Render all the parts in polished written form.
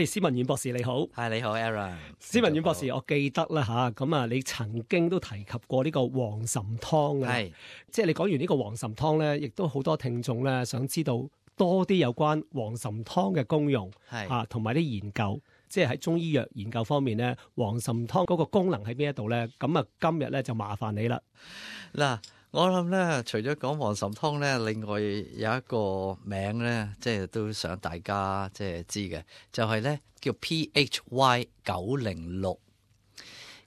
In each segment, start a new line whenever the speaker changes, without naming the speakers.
施文遠博士你好。
係你好 Aaron。
施文遠博士，我記得啦吓，咁啊，你曾經都提及過呢個黃岑湯嘅，
係
即係你講完呢個黃岑湯咧，亦都好多聽眾咧想知道多啲有關黃岑湯嘅功用，
係
啊，同埋啲研究，即係喺中醫藥研究方面咧，黃岑湯嗰個功能喺邊一度咧？咁啊，今日咧就麻煩你啦。
嗱，我諗咧，除咗講黃岑湯咧，另外有一個名咧，即係都想大家即係知嘅，就係咧叫 PHY 906。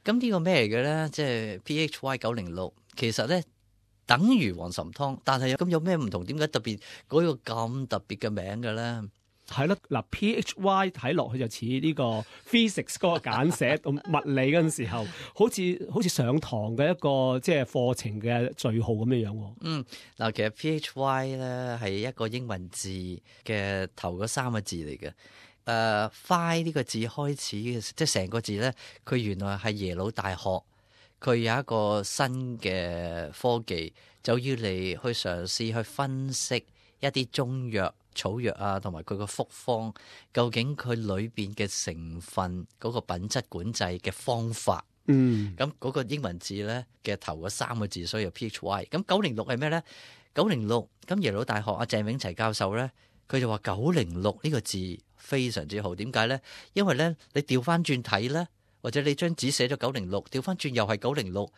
咁呢個咩嚟嘅咧？即係 PHY 906，其實咧等於黃岑湯，但係咁有咩唔同？點解特別嗰個咁特別嘅名嘅咧？
係咯，嗱 PHY 睇落去就似呢個 physics 嗰個簡寫，物理嗰陣時候，好似上堂嘅一個即係課程嘅序號咁樣樣。
嗱，其實 PHY 咧係一個英文字嘅頭嗰3個字嚟嘅。Y 呢個字開始嘅，即係成個字咧，佢原來係耶魯大學，佢有一個新嘅科技，就要嚟去嘗試去分析一啲中藥、草藥啊，同埋佢個複方，究竟佢裏邊嘅成分嗰個品質管制嘅方法。咁嗰個英文字咧嘅頭嗰3個字，所以有 PHY。咁906係咩咧？906咁耶魯大學阿鄭永齊教授咧，佢就話906呢個字非常之好。點解咧？因為咧你調翻轉睇咧，或者你張紙寫咗906，調翻轉又係906。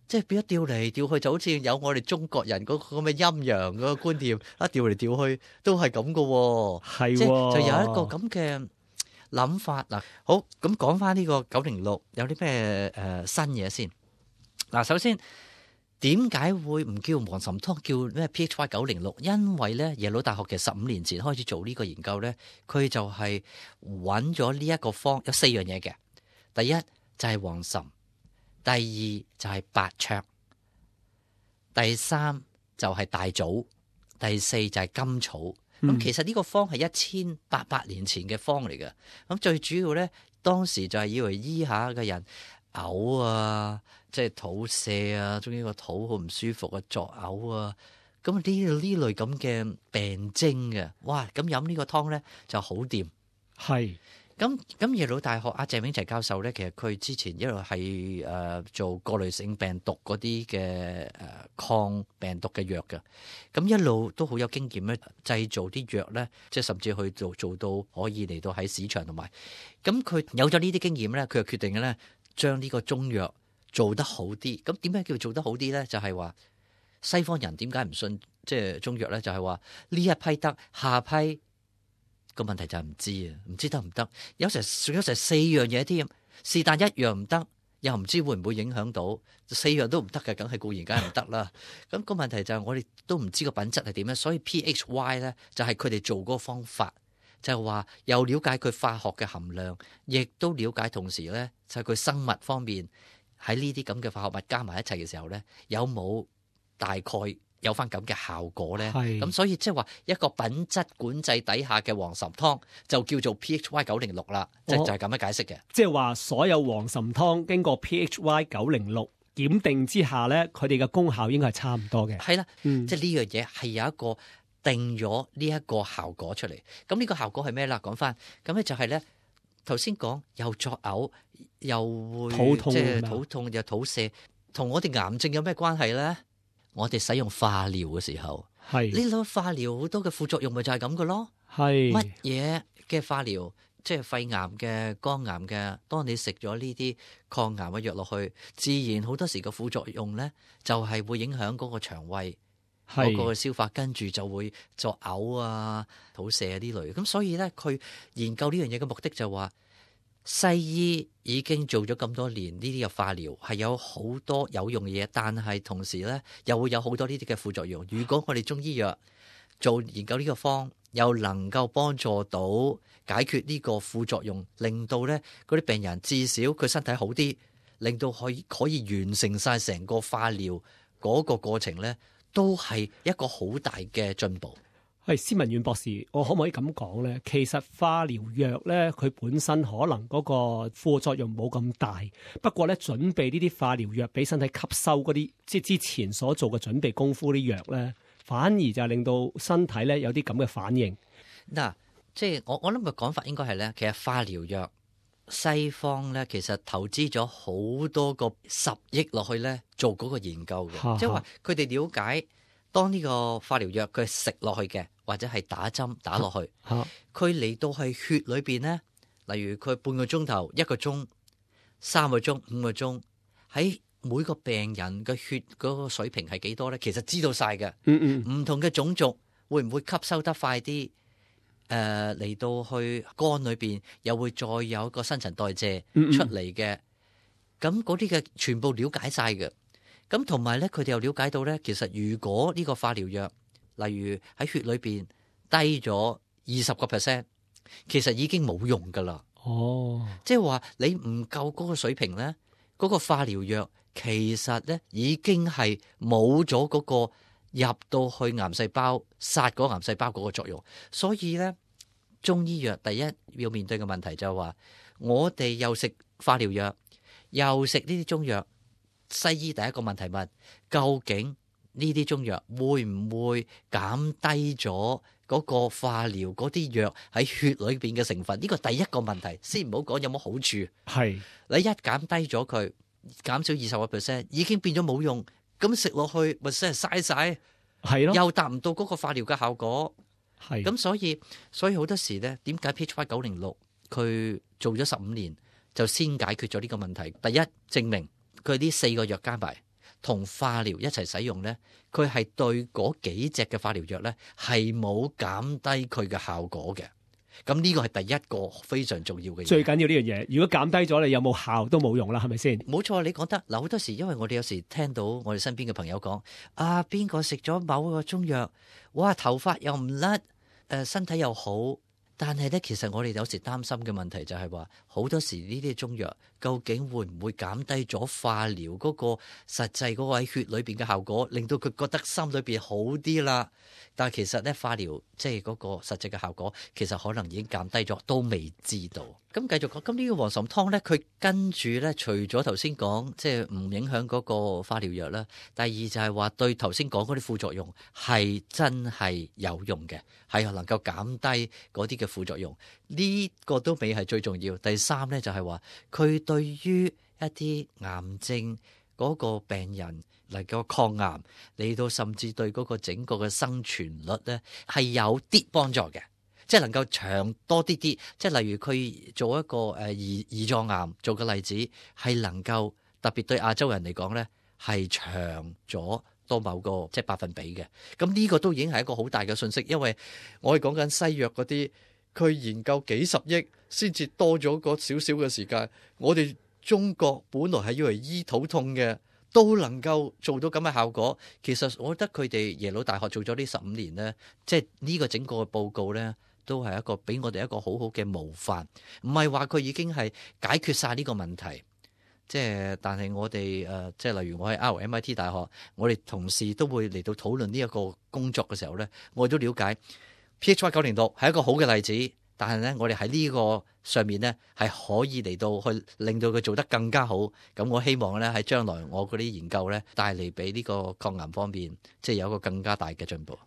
即係變咗調嚟調去，就好似有我哋中國人嗰個咁嘅陰陽嗰個觀念，一調嚟調去都係咁噶喎。
係，
即係就有一個咁嘅諗法。嗱，好，咁講翻呢個906有啲咩新嘢先。嗱，首先點解會唔叫黃岑湯，叫咩 PHY 906？因為咧耶魯大學其實15年前開始做呢個研究咧，佢就係揾咗呢一個方有4樣嘢嘅。第一就係黃岑。第二就係白芍，第三就係大棗，第四就係甘草。咁其實呢個方係1800年前嘅方嚟嘅。咁最主要咧，當時就係以為醫下嘅人嘔啊，即係肚瀉啊，中意個肚好唔舒服啊，作嘔啊。咁呢類咁嘅病徵嘅，哇！咁飲呢個湯咧就好掂。
係。
咁耶魯大學阿鄭永齊教授咧，其實佢之前一路係做過濾性病毒嗰啲嘅抗病毒嘅藥嘅，咁一路都好有經驗咧，製造啲藥咧，即係甚至去做到可以嚟到喺市場同埋，咁佢有咗呢啲經驗咧，佢就決定咧將呢個中藥做得好啲。咁點解叫做得好啲咧？就係話西方人點解唔信即係中藥咧？就係話呢一批得，下批。個問題就係唔知啊，唔知得唔得？有成4樣嘢添，是但一樣唔得，又唔知會唔會影響到4樣都唔得嘅，梗係固然梗係唔得啦。咁個問題就係我哋都唔知個品質係點樣，所以 PHY 咧就係佢哋做嗰個方法，就係話又了解佢化學嘅含量，亦都了解同時咧就係佢生物方面喺呢啲咁嘅化學物加埋一齊嘅時候咧，有冇大概有翻咁嘅效果咧，咁所以即係話一個品質管制底下嘅黃岑湯就叫做 PHY 906啦，就係咁樣解釋嘅。
即係話所有黃岑湯經過 PHY 906檢定之下咧，佢哋嘅功效應該係差唔多嘅。
係啦，即係呢樣嘢係有一個定咗呢一個效果出嚟。咁呢個效果係咩啦？講翻咁咧就係咧頭先講又作嘔，又會
肚痛，
即係肚痛又肚瀉，同我哋癌症有咩關係咧？我哋使用化療嘅時候，呢種化療好多嘅副作用咪就係咁嘅咯。乜嘢嘅化療，即係肺癌嘅、肝癌嘅，當你食咗呢啲抗癌嘅藥落去，自然好多時個副作用咧，就係會影響嗰個腸胃嗰個消化，跟住就會作嘔啊、肚瀉啊呢類。咁所以咧，佢研究呢樣嘢嘅目的就話，西醫已經做咗咁多年呢啲嘅化療係有好多有用嘅嘢，但係同時咧又會有好多呢啲嘅副作用。如果我哋中醫藥做研究呢個方，又能夠幫助到解決呢個副作用，令到咧嗰啲病人至少佢身體好啲，令到可以完成晒成個化療嗰個過程咧，都係一個好大嘅進步。
施文遠博士，我可唔可以咁講咧？其實化療藥咧，佢本身可能嗰個副作用冇咁大，不過咧準備呢啲化療藥俾身體吸收嗰啲，即係之前所做嘅準備功夫啲藥咧，反而就係令到身體咧有啲咁嘅反應。
嗱，即係我諗嘅講法應該係咧，其實化療藥西方咧其實投資咗好多個10億落去咧做嗰個研究嘅，即係話佢哋了解當呢個化療藥佢食落去嘅，或者係打針打落去，佢嚟到係血裏邊咧，例如佢半個鐘頭、1個鐘、3個鐘、5個鐘，喺每個病人嘅血嗰個水平係幾多咧？其實知道晒嘅。唔同嘅種族會唔會吸收得快啲？嚟到去肝裏邊又會再有一個新陳代謝出嚟嘅，咁嗰啲嘅全部了解晒嘅。咁同埋咧，佢哋又了解到咧，其實如果呢個化療藥，例如喺血裏邊低咗20%，其實已經冇用噶啦。即係話你唔夠嗰個水平咧，嗰個化療藥其實咧已經係冇咗嗰個入到去癌細胞殺嗰癌細胞嗰個作用。所以咧，中醫藥第一要面對嘅問題就係話，我哋又食化療藥，又食呢啲中藥。西醫第一個問題問，究竟呢啲中藥會唔會減低咗嗰個化療嗰啲藥喺血裏邊嘅成分？呢個第一個問題，先唔好講有冇好處。係你一減低咗佢，減少20%，已經變咗冇用，咁食落去咪真係嘥晒，係咯，又達唔到嗰個化療嘅效果。係咁，所以好多時咧，點解 PHY-906佢做咗15年就先解決咗呢個問題？第一，證明佢呢4個藥加埋同化療一齊使用咧，佢係對嗰幾隻嘅化療藥咧係冇減低佢嘅效果嘅。咁呢個係第一個非常重要嘅嘢。最緊要呢樣嘢，如果減低咗，你有冇效都冇用啦，係咪先？冇錯，你講得嗱，好多時因為我哋有時聽到我哋身邊嘅朋友講啊，邊個食咗某個中藥，哇，頭髮又唔甩，身體又好。但係咧，其實我哋有時擔心嘅問題就係話，好多時呢啲中藥究竟會唔會減低咗化療嗰個實際嗰個喺血裏邊嘅效果，令到佢覺得心裏邊好啲啦？但係其實咧，化療即係嗰個實際嘅效果，其實可能已經減低咗，都未知道。咁繼續講，咁呢個黃芩湯咧，佢跟住咧，除咗頭先講即係唔影響嗰個化療藥啦，第二就係話對頭先講嗰啲副作用係真係有用嘅，係能夠減低嗰啲嘅副作用。呢個都未係最重要。第三咧就係話，佢對於一啲癌症嗰個病人能夠抗癌，嚟到甚至對嗰個整個嘅生存率咧係有啲幫助嘅。即係能夠長多啲，即係例如佢做一個胰臟癌做個例子，係能夠特別對亞洲人嚟講咧係長咗多某個即係百分比嘅。咁呢個都已經係一個好大嘅信息，因為我哋講緊西藥嗰啲，佢研究幾十億先至多咗個少少嘅時間。我哋中國本來係要嚟醫肚痛嘅，都能夠做到咁嘅效果。其實我覺得佢哋耶魯大學做咗呢15年咧，即係呢個整個嘅報告咧，都係一個俾我哋一個好好嘅模範。唔係話佢已經係解決晒呢個問題，即係但係我哋即係例如我喺 RMIT 大學，我哋同事都會嚟到討論呢一個工作嘅時候咧，我哋都了解 PHY-906係一個好嘅例子。但係咧，我哋喺呢個上面咧係可以嚟到去令到佢做得更加好。咁我希望咧喺將來我嗰啲研究咧帶嚟俾呢個抗癌方面，即係有一個更加大嘅進步。